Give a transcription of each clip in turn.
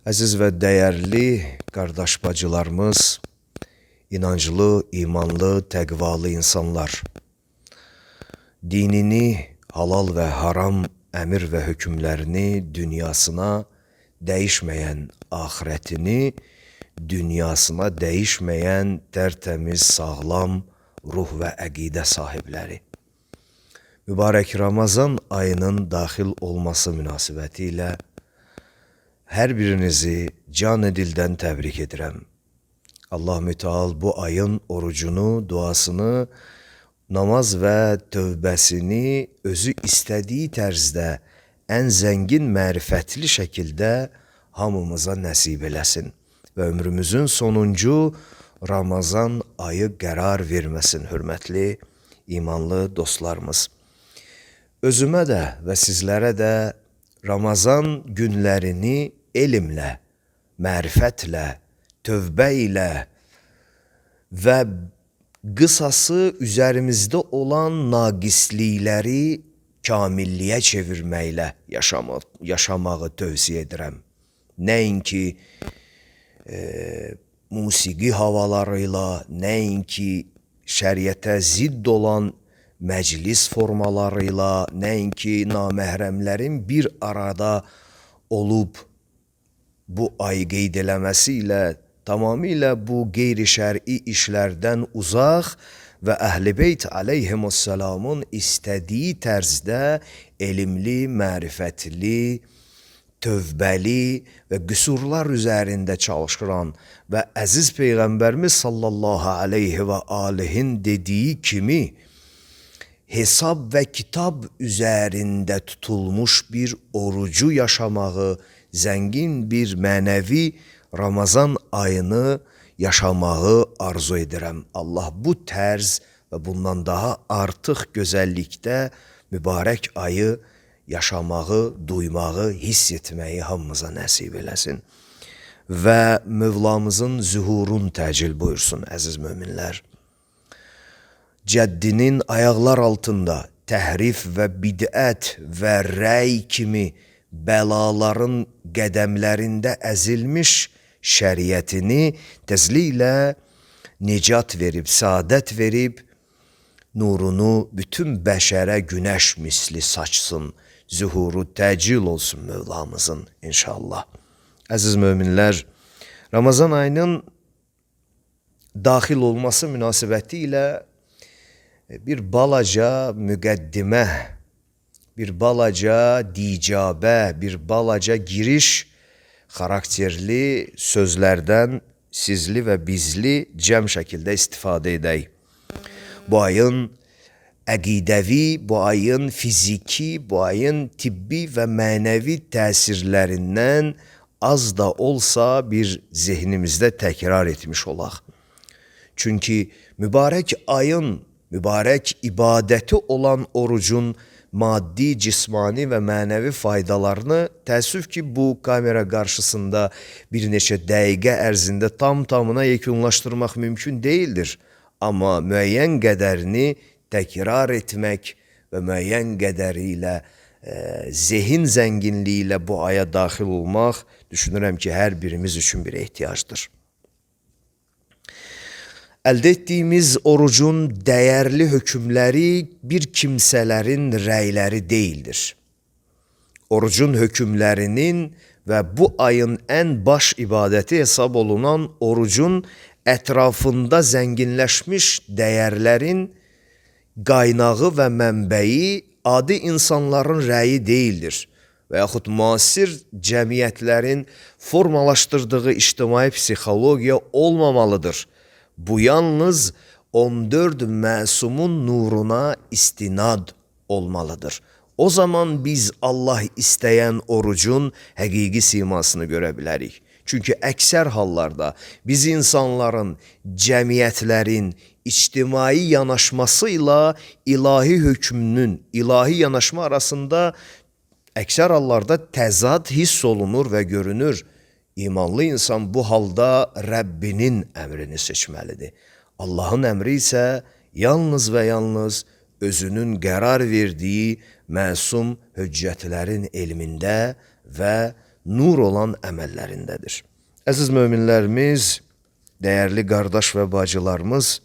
Əziz və dəyərli qardaş bacılarımız, inanclı, imanlı, təqvalı insanlar, dinini, halal və haram əmir və hökmlərini dünyasına dəyişməyən axirətini, dünyasına dəyişməyən tərtəmiz, sağlam ruh və əqidə sahibləri. Mübarək Ramazan ayının daxil olması münasibəti ilə hər birinizi can dildən təbrik edirəm. Allah Müteal bu ayın orucunu, duasını, namaz və tövbəsini özü istədiyi tərzdə ən zəngin mərifətli şəkildə hamımıza nəsib eləsin və ömrümüzün sonuncu Ramazan ayı qərar verməsin, hörmətli, imanlı dostlarımız. Özümə də və sizlərə də Ramazan günlərini elmlə, mərifətlə, tövbə ilə və qısası üzərimizdə olan naqislikləri kamilliyə çevirməklə yaşamağı tövsiyə edirəm. Nəinki musiqi havalarıyla, nəinki şəriətə zidd olan məclis formalarıyla, nəinki naməhrəmlərin bir arada olub bu ayı qeyd eləməsi ilə tamamilə bu qeyri-şər'i işlərdən uzaq və Əhl-i Beyt əleyhimussalamın istədiyi tərzdə elmli, mərifətli, tövbəli və qüsurlar üzərində çalışıran və əziz Peyğəmbərimiz sallallahu aleyhi və alihin dediyi kimi hesab və kitab üzərində tutulmuş bir orucu yaşamağı, zəngin bir mənəvi Ramazan ayını yaşamağı arzu edirəm. Allah bu tərz və bundan daha artıq gözəllikdə mübarək ayı yaşamağı, duymağı, hiss etməyi hamımıza nəsib eləsin. Və Mövlamızın zühurun təcil buyursun, əziz möminlər. Cəddinin ayaqlar altında təhrif və bidət və rəy kimi bəlaların qədəmlərində əzilmiş şəriətini tezliklə nicat verib, saadət verib, nurunu bütün bəşərə günəş misli saçsın, zühuru təcil olsun Mövlamızın inşallah. Əziz möminlər, Ramazan ayının daxil olması münasibəti ilə bir balaca müqəddimə, bir balaca dicabə, bir balaca giriş xarakterli sözlərdən sizli və bizli cəm şəkildə istifadə edək. Bu ayın əqidəvi, bu ayın fiziki, bu ayın tibbi və mənəvi təsirlərindən az da olsa bir zehnimizdə təkrar etmiş olaq. Çünki mübarək ayın, mübarək ibadəti olan orucun maddi, cismani və mənəvi faydalarını təəssüf ki, bu kamera qarşısında bir neçə dəqiqə ərzində tam-tamına yekunlaşdırmaq mümkün deyildir. Amma müəyyən qədərini təkrar etmək və müəyyən qədəri ilə zehin zənginliyi ilə bu aya daxil olmaq düşünürəm ki, hər birimiz üçün bir ehtiyacdır. Əldə etdiyimiz orucun dəyərli hökmləri bir kimsələrin rəyləri deyildir. Orucun hökmlərinin və bu ayın ən baş ibadəti hesab olunan orucun ətrafında zənginləşmiş dəyərlərin qaynağı və mənbəyi adi insanların rəyi deyildir və yaxud müasir cəmiyyətlərin formalaşdırdığı ictimai psixologiya olmamalıdır. Bu yalnız 14 məsumun nuruna istinad olmalıdır. O zaman biz Allah istəyən orucun həqiqi simasını görə bilərik. Çünki əksər hallarda biz insanların, cəmiyyətlərin ictimai yanaşması ilə ilahi hökmünün, ilahi yanaşma arasında əksər hallarda təzad hiss olunur və görünür. İmanlı insan bu halda Rəbbinin əmrini seçməlidir. Allahın əmri isə yalnız və yalnız özünün qərar verdiyi məsum höccətlərin elmində və nur olan əməllərindədir. Əziz möminlərimiz, dəyərli qardaş və bacılarımız,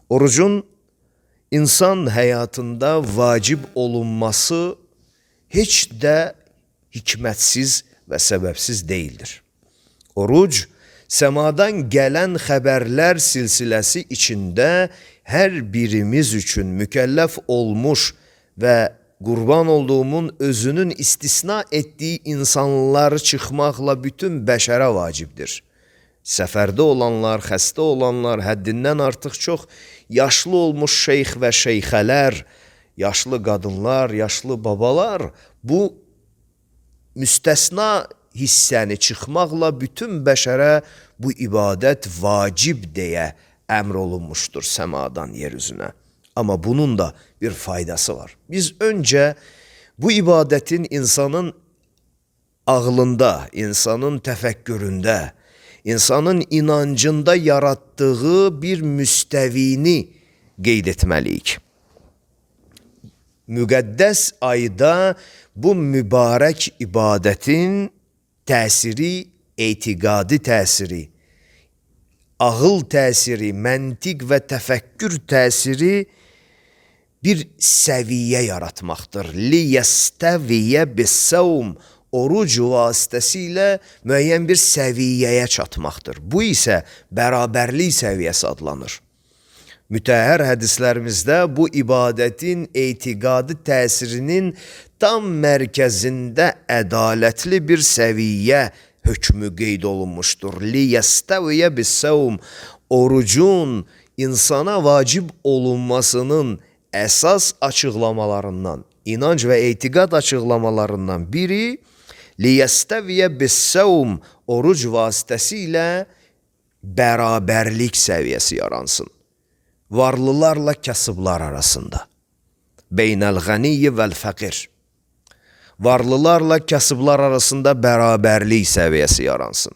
orucun insan həyatında vacib olunması heç də hikmətsiz və səbəbsiz deyildir. Oruc, səmadan gələn xəbərlər silsiləsi içində hər birimiz üçün mükəlləf olmuş və qurban olduğumun özünün istisna etdiyi insanlar çıxmaqla bütün bəşərə vacibdir. Səfərdə olanlar, xəstə olanlar, həddindən artıq çox yaşlı olmuş şeyx və şeyxələr, yaşlı qadınlar, yaşlı babalar bu müstəsna hissəni çıxmaqla bütün bəşərə bu ibadət vacib deyə əmr olunmuşdur səmadan yeryüzünə. Amma bunun da bir faydası var. Biz öncə bu ibadətin insanın ağlında, insanın təfəkküründə, insanın inancında yarattığı bir müstəvini qeyd etməliyik. Müqəddəs ayda bu mübarək ibadətin təsiri, etiqadi təsiri, ağıl təsiri, məntiq və təfəkkür təsiri bir səviyyə yaratmaqdır. Liyəstəviyyə bis-savm, oruc vasitəsilə müəyyən bir səviyyəyə çatmaqdır. Bu isə bərabərlik səviyyəsi adlanır. Mütəhhər hədislərimizdə bu ibadətin etiqadi təsirinin tam mərkəzində ədalətli bir səviyyə hökmü qeyd olunmuşdur. Liyəstəviyyə bis-savm, orucun insana vacib olunmasının əsas açıqlamalarından, inanc və etiqad açıqlamalarından biri liyəstəviyyə bis-savm, oruc vasitəsilə bərabərlik səviyyəsi yaransın. Varlılarla kasıblar arasında. Beynəl-ğəniyyi vəl-fəqir. Varlılarla kasıblar arasında bərabərlik səviyyəsi yaransın.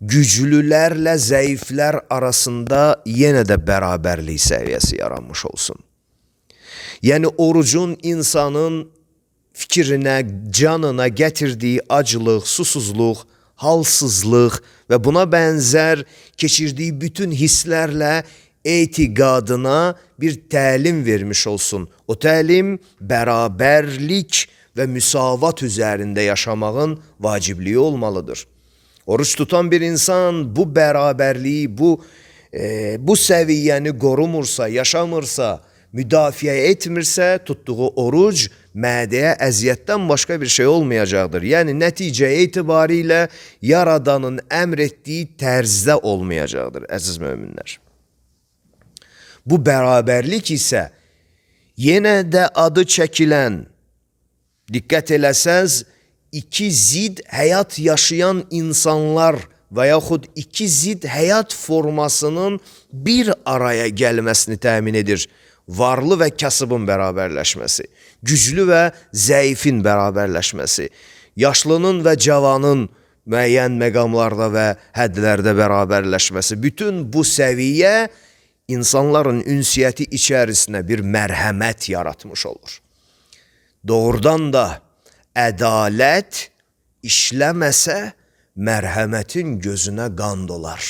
Güclülərlə zəiflər arasında yenə də bərabərlik səviyyəsi yaranmış olsun. Yəni orucun insanın fikrinə, canına gətirdiyi aclıq, susuzluq, halsızlıq və buna bənzər keçirdiyi bütün hisslərlə etiqadına bir təlim vermiş olsun. O təlim bərabərlik və müsavat üzərində yaşamağın vacibliyi olmalıdır. Oruç tutan bir insan bu bərabərliyi, bu səviyyəni qorumursa, yaşamırsa, müdafiə etmirsə, tutduğu oruc mədəyə əziyyətdən başqa bir şey olmayacaqdır. Yəni, nəticə etibarilə Yaradanın əmr etdiyi tərzdə olmayacaqdır, əziz möminlər. Bu bərabərlik isə yenə də adı çəkilən, diqqət eləsəz, iki zid həyat yaşayan insanlar və yaxud iki zid həyat formasının bir araya gəlməsini təmin edir. Varlı və kasıbın bərabərləşməsi, güclü və zəifin bərabərləşməsi, yaşlının və cavanın müəyyən məqamlarda və hədlərdə bərabərləşməsi. Bütün bu səviyyə insanların ünsiyyəti içərisində bir mərhəmət yaratmış olur. Doğrudan da ədalət işləməsə, mərhəmətin gözünə qan dolar.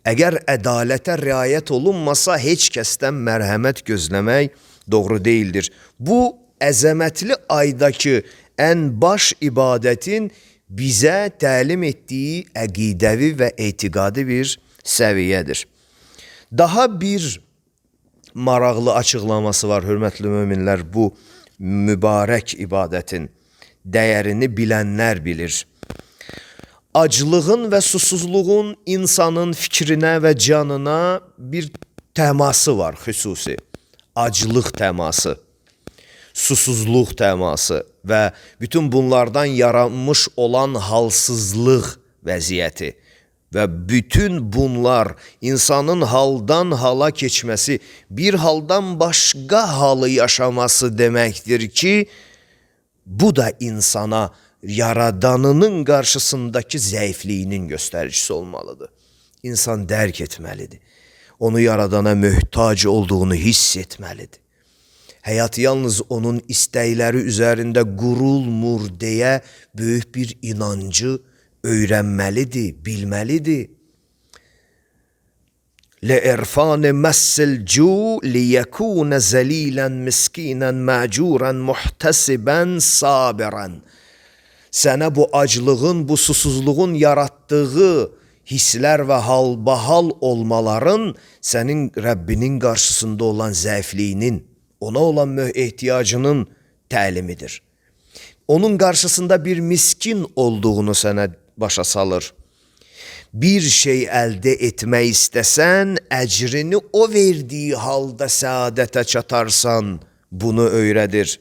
Əgər ədalətə riayət olunmasa, heç kəsdən mərhəmət gözləmək doğru deyildir. Bu, əzəmətli aydakı ən baş ibadətin bizə təlim etdiyi əqidəvi və etiqadi bir səviyyədir. Daha bir maraqlı açıqlaması var, hörmətli möminlər, bu mübarək ibadətin dəyərini bilənlər bilir. Aclığın və susuzluğun insanın fikrinə və canına bir təması var xüsusi. Aclıq təması, susuzluq təması və bütün bunlardan yaranmış olan halsızlıq vəziyyəti və bütün bunlar insanın haldan hala keçməsi, bir haldan başqa halı yaşaması deməkdir ki, bu da insana Yaradanının qarşısındakı zəifliyinin göstəricisi olmalıdır. İnsan dərk etməlidir. Onu Yaradana möhtac olduğunu hiss etməlidir. həyat yalnız onun istəkləri üzərində qurulmur deyə böyük bir inancı öyrənməlidir, bilməlidir. لإرفان مس الجوع ليكون ذليلا مسكينا معجورا محتسبا صابرا. Sənə bu aclığın, bu susuzluğun yarattığı hisslər və halbahal olmaların sənin Rəbbinin qarşısında olan zəifliyinin, ona olan ehtiyacının təlimidir. Onun qarşısında bir miskin olduğunu sənə başa salır. Bir şey əldə etmək istəsən, əcrini o verdiyi halda səadətə çatarsan, bunu öyrədir.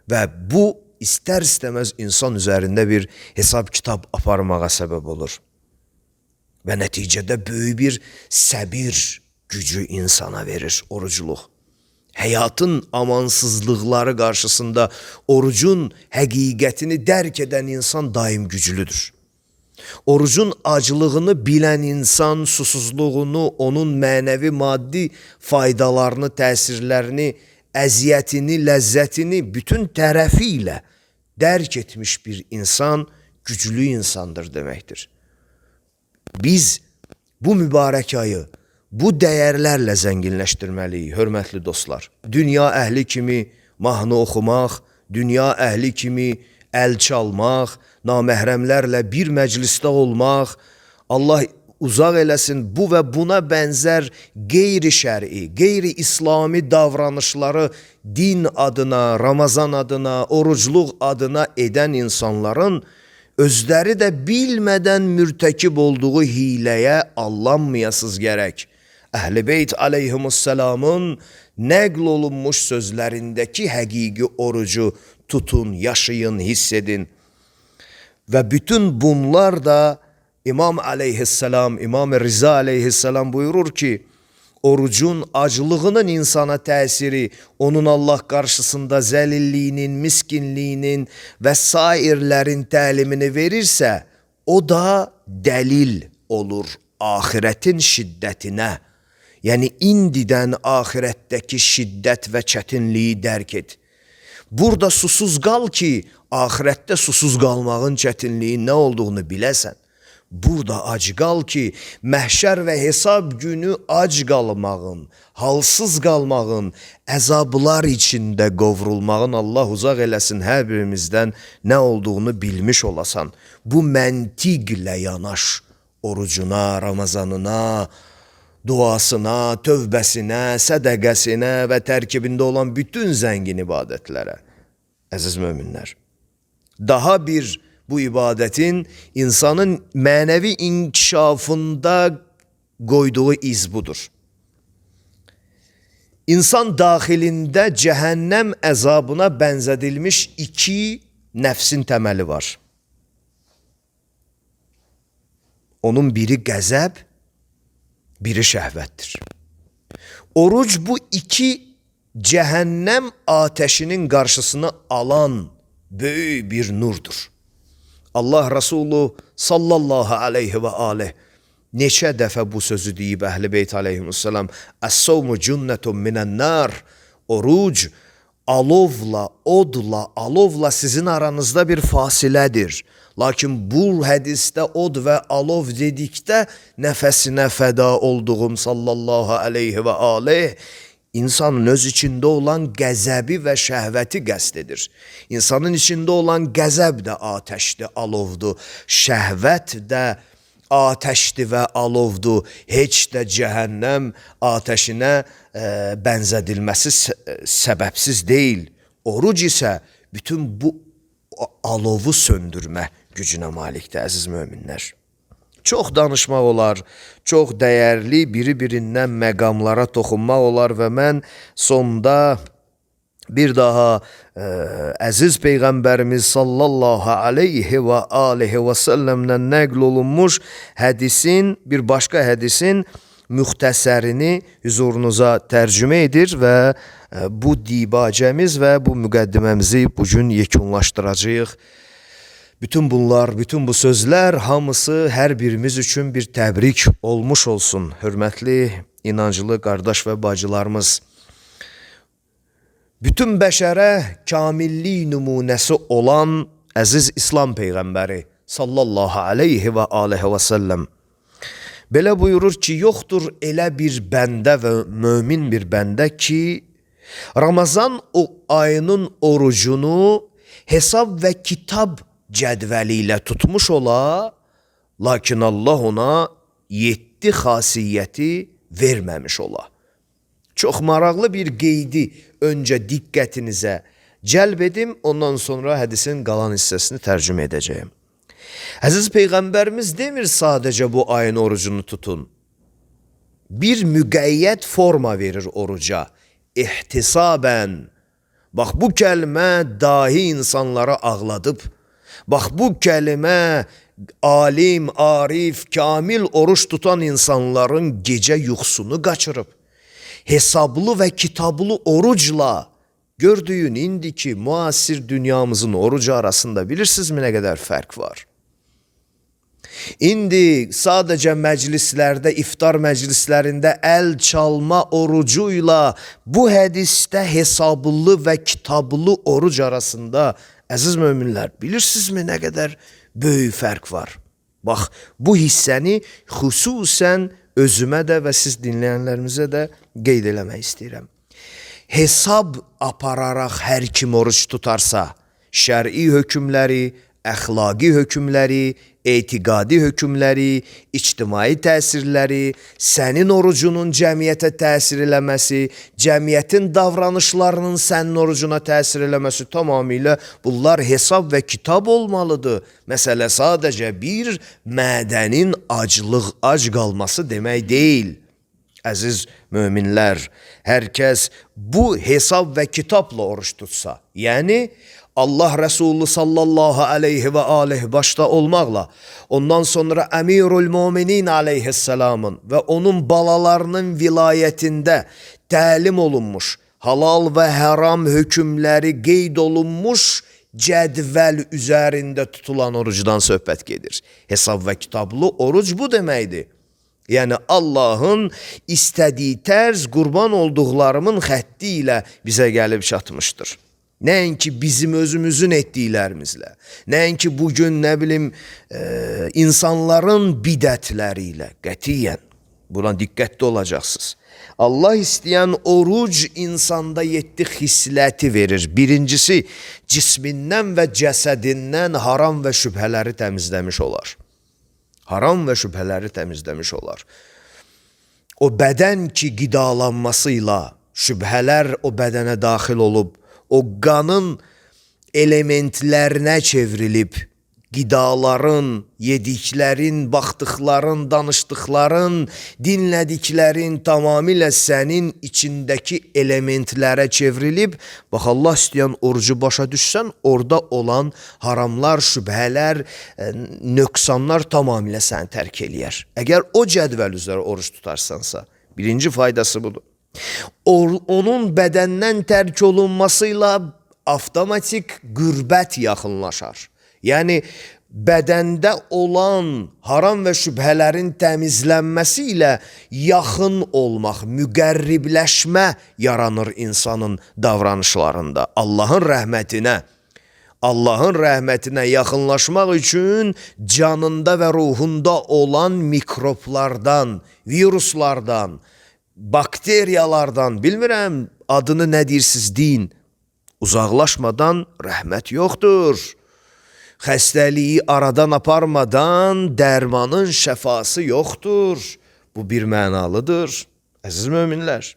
Və bu, istər-istəməz insan üzərində bir hesab kitab aparmağa səbəb olur. Və nəticədə böyük bir səbir gücü insana verir orucluq. Həyatın amansızlıqları qarşısında orucun həqiqətini dərk edən insan daim güclüdür. Orucun acılığını bilən insan susuzluğunu, onun mənəvi maddi faydalarını, təsirlərini, əziyyətini, ləzzətini bütün tərəfi ilə dərk etmiş bir insan güclü insandır deməkdir. Biz bu mübarək ayı bu dəyərlərlə zənginləşdirməliyik, hörmətli dostlar. Dünya əhli kimi mahnı oxumaq, dünya əhli kimi əl çalmaq, naməhrəmlərlə bir məclisdə olmaq, Allah uzaq eləsin bu və buna bənzər qeyri-şər'i, qeyri-İslami davranışları din adına, Ramazan adına, orucluq adına edən insanların özləri də bilmədən mürtəkib olduğu hiləyə allanmayasız gərək. Əhl-i Beyt aleyhimussalamın nəql olunmuş sözlərindəki həqiqi orucu tutun, yaşayın, hiss edin. Və bütün bunlar da İmam aleyhisselam, İmam Rıza aleyhisselam buyurur ki, orucun acılığının insana təsiri, onun Allah qarşısında zəlilliyinin, miskinliyinin və sairlərin təlimini verirsə, o da dəlil olur ahirətin şiddətinə. Yəni, indidən ahirətdəki şiddət və çətinliyi dərk et. Burada susuz qal ki, ahirətdə susuz qalmağın çətinliyi nə olduğunu biləsən. Burada ac qal ki, məhşər və hesab günü ac qalmağın, halsız qalmağın, əzablar içində qovrulmağın Allah uzaq eləsin hər birimizdən nə olduğunu bilmiş olasan. Bu məntiqlə yanaş orucuna, Ramazanına, duasına, tövbəsinə, sədəqəsinə və tərkibində olan bütün zəngin ibadətlərə. Əziz möminlər, daha bir bu ibadətin insanın mənəvi inkişafında qoyduğu iz budur. İnsan daxilində cəhənnəm əzabına bənzədilmiş iki nəfsin təməli var. Onun biri qəzəb, biri şəhvətdir. Oruc bu iki cəhənnəm atəşinin qarşısını alan böyük bir nurdur. Allah Resulü sallallahu aleyhi və aleyh neçə dəfə bu sözü deyib Əhl-i Beyt aleyhimussalam, Əs-savmu cünnətun minən-nar. Oruc alovla, odla, alovla sizin aranızda bir fasilədir. Lakin bu hədisdə od və alov dedikdə nəfəsinə fəda olduğum sallallahu aleyhi və aleyh insanın öz içində olan qəzəbi və şəhvəti qəsd edir. İnsanın içində olan qəzəb də atəşdir, alovdur. Şəhvət də atəşdir və alovdur. Heç də cəhənnəm atəşinə bənzədilməsi səbəbsiz deyil. Oruc isə bütün bu alovu söndürmə gücünə malikdir, əziz möminlər. Çox danışmaq olar, çox dəyərli biri-birindən məqamlara toxunmaq olar və mən sonda bir daha əziz Peyğəmbərimiz sallallahu aleyhi və aleyhi və səlləmdən nəql olunmuş hədisin, bir başqa hədisin müxtəsərini hüzurunuza tərcümə edir və bu dibacəmiz və bu müqəddiməmizi bugün yekunlaşdıracağıq. Bütün bunlar, bütün bu sözlər hamısı hər birimiz üçün bir təbrik olmuş olsun. Hörmətli, inancılı qardaş və bacılarımız. bütün bəşərə kamillik nümunəsi olan əziz İslam Peyğəmbəri sallallahu aleyhi və aleyhi və səlləm belə buyurur ki, yoxdur elə bir bəndə və mömin bir bəndə ki, Ramazan ayının orucunu hesab və kitab cədvəli ilə tutmuş ola, lakin Allah ona 7 xasiyyəti verməmiş ola. Çox maraqlı bir qeydi öncə diqqətinizə cəlb edim, ondan sonra hədisin qalan hissəsini tərcümə edəcəyim. Əziz Peyğəmbərimiz demir sadəcə bu ayın orucunu tutun. Bir müqəyyət forma verir oruca. İhtisabən. Bax bu kəlmə dahi insanları ağladıb. Bax bu kəlmə alim, arif, kamil oruç tutan insanların gecə yuxusunu qaçırıb. Hesablı və kitablı orucla gördüyün indiki müasir dünyamızın orucu arasında bilirsinizmi nə qədər fərq var? İndi sadəcə məclislərdə, iftar məclislərində əl çalma orucuyla bu hədisdə hesablı və kitablı oruc arasında, əziz möminlər, bilirsinizmi nə qədər böyük fərq var? Bax, bu hissəni xüsusən özümə də və siz dinləyənlərimizə də qeyd eləmək istəyirəm. Hesab apararaq hər kim oruç tutarsa, şər'i hökmləri, əxlaqi hökmləri, etiqadi hökmləri, ictimai təsirləri, sənin orucunun cəmiyyətə təsir eləməsi, cəmiyyətin davranışlarının sənin orucuna təsir eləməsi tamamilə bunlar hesab və kitab olmalıdır. Məsələ sadəcə bir mədənin ac qalması demək deyil. Əziz möminlər, hər kəs bu hesab və kitabla oruç tutsa, yəni Allah Resulü sallallahu aleyhi və aleyhi başda olmaqla, ondan sonra Əmirul Müminin aleyhisselamın və onun balalarının vilayətində təlim olunmuş, halal və haram hökmləri qeyd olunmuş cədvəl üzərində tutulan orucdan söhbət gedir. Hesab və kitablı oruc bu deməkdir. Yəni Allahın istədiyi tərz qurban olduqlarımın xətti ilə bizə gəlib çatmışdır. Nəinki bizim özümüzün etdiklərimizlə, nəinki bugün nə bilim insanların bidətləri ilə, qətiyyən buna diqqətli olacaqsınız. Allah istəyən oruc insanda 7 xisləti verir. Birincisi, cismindən və cəsədindən haram və şübhələri təmizləmiş olar. Haram və şübhələri təmizləmiş olar. O bədən ki qidalanmasıyla şübhələr o bədənə daxil olub, o qanın elementlərinə çevrilib, qidaların, yediklərin, baxdıqların, danışdıqların, dinlədiklərin tamamilə sənin içindəki elementlərə çevrilib, bax Allah istəyən orucu başa düşsən, orada olan haramlar, şübhələr, nöqsanlar tamamilə səni tərk eləyər. Əgər o cədvəl üzrə oruç tutarsansa, birinci faydası budur. Onun bədəndən tərk olunmasıyla avtomatik qürbət yaxınlaşar. Yəni, bədəndə olan haram və şübhələrin təmizlənməsi ilə yaxın olmaq, müqərribləşmə yaranır insanın davranışlarında. Allahın rəhmətinə yaxınlaşmaq üçün canında və ruhunda olan mikroblardan, viruslardan, bakteriyalardan, bilmirəm adını nə deyirsiniz deyin, uzaqlaşmadan rəhmət yoxdur. Xəstəliyi aradan aparmadan dərmanın şəfası yoxdur. Bu bir mənalıdır, əziz möminlər.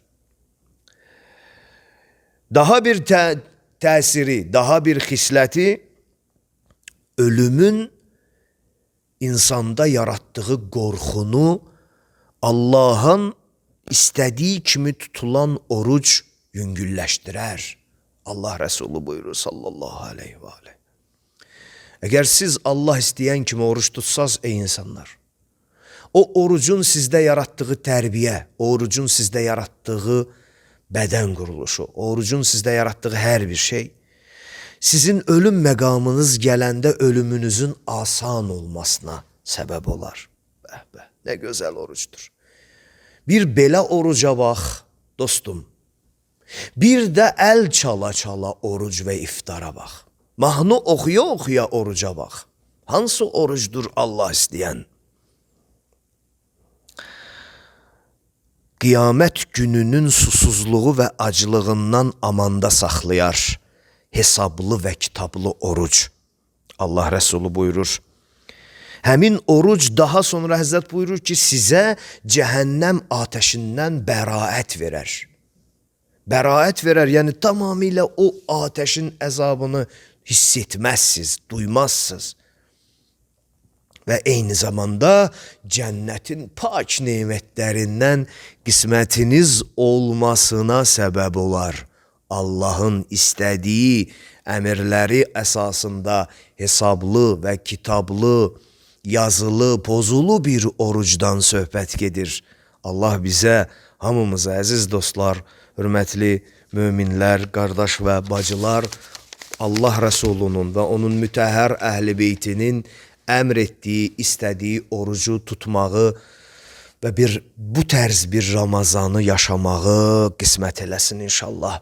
Daha bir təsiri, daha bir xisləti ölümün insanda yaratdığı qorxunu Allahın istədiyi kimi tutulan oruc yüngülləşdirər. Allah Resulü buyurur sallallahu aleyhi və aleyhi. Əgər siz Allah istəyən kimi oruç tutsaz, ey insanlar, o orucun sizdə yaratdığı tərbiyə, o orucun sizdə yaratdığı bədən quruluşu, o orucun sizdə yaratdığı hər bir şey, sizin ölüm məqamınız gələndə ölümünüzün asan olmasına səbəb olar. Bəh, nə gözəl orucdur. Bir belə oruca bax, dostum. Bir də əl çala-çala oruc və iftara bax. Mahnı oxuya-oxuya oruca bax. Hansı orucdur Allah istəyən? Qiyamət gününün susuzluğu və aclığından amanda saxlayar hesablı və kitablı oruc. Allah Rəsulü buyurur. Həmin oruc daha sonra Həzrət buyurur ki, sizə cəhənnəm atəşindən bəraət verər. Bəraət verər, yəni tamamilə o atəşin əzabını hiss etməzsiniz, duymazsınız. Və eyni zamanda cənnətin pak nemətlərindən qismətiniz olmasına səbəb olar. Allahın istədiyi əmirləri əsasında hesablı və kitablı, yazılı, pozulu bir orucdan söhbət gedir. Allah bizə, hamımıza, əziz dostlar, hörmətli möminlər, qardaş və bacılar, Allah Rəsulunun və onun mütəhhər əhl-i beytinin əmr etdiyi, istədiyi orucu tutmağı və bu tərz bir Ramazanı yaşamağı qismət eləsin inşallah.